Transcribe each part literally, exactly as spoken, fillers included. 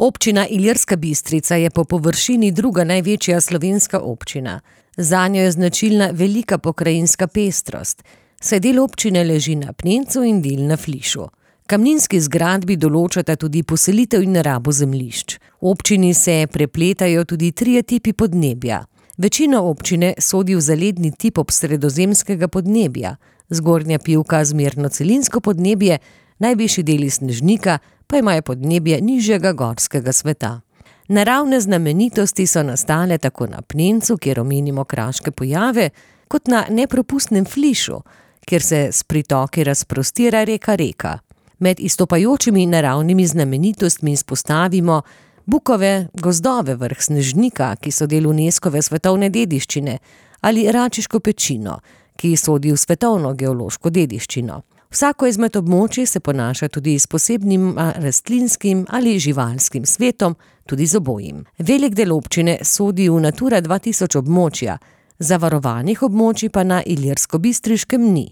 Občina Ilirska Bistrica je po površini druga največja slovenska občina. Zanjo je značilna velika pokrajinska pestrost, saj del občine leži na Pnencu in del na Flišu. Kamninski zgradbi določata tudi poselitev in rabo zemljišč. V občini se prepletajo tudi trije tipi podnebja. Večina občine sodi v zaledni tip obsredozemskega podnebja, Zgornja Pivka zmerno celinsko podnebje, najvišji deli Snežnika pa imajo podnebje nižjega gorskega sveta. Naravne znamenitosti so nastale tako na Pnencu, kjer omenimo kraške pojave, kot na nepropustnem Flišu, kjer se s pritoki razprostira reka Reka. Med izstopajočimi naravnimi znamenitostmi izpostavimo bukove gozdove vrh Snežnika, ki so del Unescove svetovne dediščine, ali Račiško pečino, ki sodi v svetovno geološko dediščino. Vsako izmed območij se ponaša tudi s posebnim rastlinskim ali živalskim svetom, tudi z obojim. Velik del občine sodi v Natura dva tisoč območja, zavarovanih območij pa na Ilirsko-Bistriškem ni.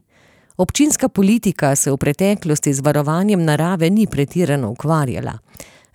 Občinska politika se v preteklosti z varovanjem narave ni pretirano ukvarjala.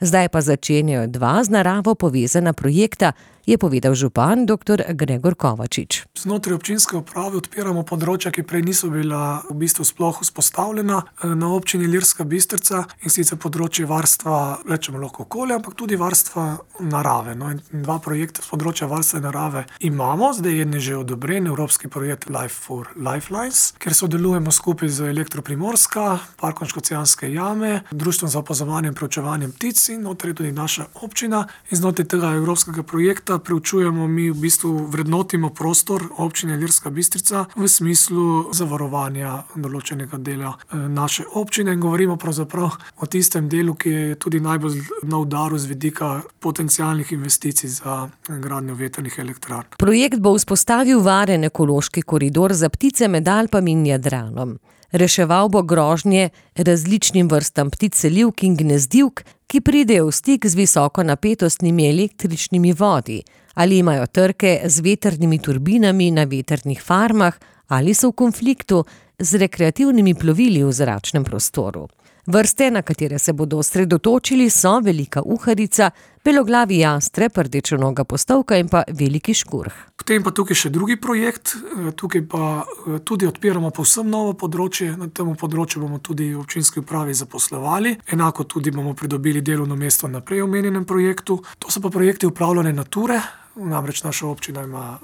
Zdaj pa začenjajo dva z naravo povezana projekta, je povedal župan doktor Gregor Kovačič. Znotraj občinske uprave odpiramo področja, ki prej niso bila v bistvu sploh vzpostavljena na občini Ilirska Bistrica, in sicer področje varstva, rečemo lahko okolja, ampak tudi varstva narave. No, in dva projekta z področja varstva narave imamo, zdaj je že odobren evropski projekt Life for Lifelines, kjer sodelujemo skupaj z Elektro Primorska, Parkom Škocjanske jame, Društvom za opazovanje in preučevanje ptic in notri tudi naša občina. In znotraj tega evropskega projekta preučujemo, mi v bistvu vrednotimo prostor občine Ilirska Bistrica v smislu zavarovanja določenega dela naše občine in govorimo pravzaprav o tistem delu, ki je tudi najbolj na udaru z vidika potencialnih investicij za gradnjo vetrnih elektrarn. Projekt bo vzpostavil varen ekološki koridor za ptice med Alpami in Jadranom. Reševal bo grožnje različnim vrstam ptic selivk in gnezdilk, ki pridejo v stik z visoko napetostnimi električnimi vodi ali imajo trke z vetrnimi turbinami na vetrnih farmah ali so v konfliktu z rekreativnimi plovili v zračnem prostoru. Vrste, na katere se bodo osredotočili, so velika uharica, beloglavi jastreb, rdečonoga postovka in pa veliki škurh. Potem pa tukaj še drugi projekt, tukaj pa tudi odpiramo povsem novo področje, na tem področju bomo tudi v občinski upravi zaposlovali, enako tudi bomo pridobili delovno mesto na prej omenjenem projektu. To so pa projekti upravljanja Nature, namreč naša občina ima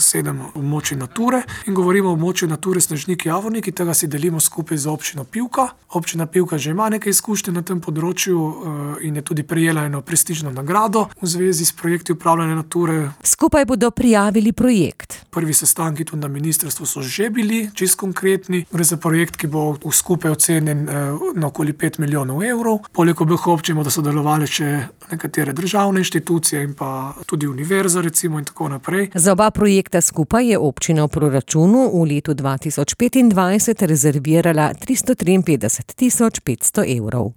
sedem območij Nature in govorimo o območju Nature Snežnik Javornik, ki tega si delimo skupaj z občino Pivka. Občina Pivka že ima nekaj izkušnje na tem področju in je tudi prejela eno prestižno nagrado v zvezi s projekti upravljanja Nature. Skupaj bodo prijavili projekt. Prvi sestanki tudi na ministrstvu so že bili čisto konkretni. Gre za projekt, ki bo skupaj ocenjen na okoli pet milijonov evrov. Poleg obeh občin bodo sodelovali še nekatere državne inštitucije in pa tudi univerza recimo in tako naprej. Za oba projekta skupaj je občina v proračunu v letu dva tisoč petindvajset rezervirala tristo triinpetdeset tisoč petsto evrov.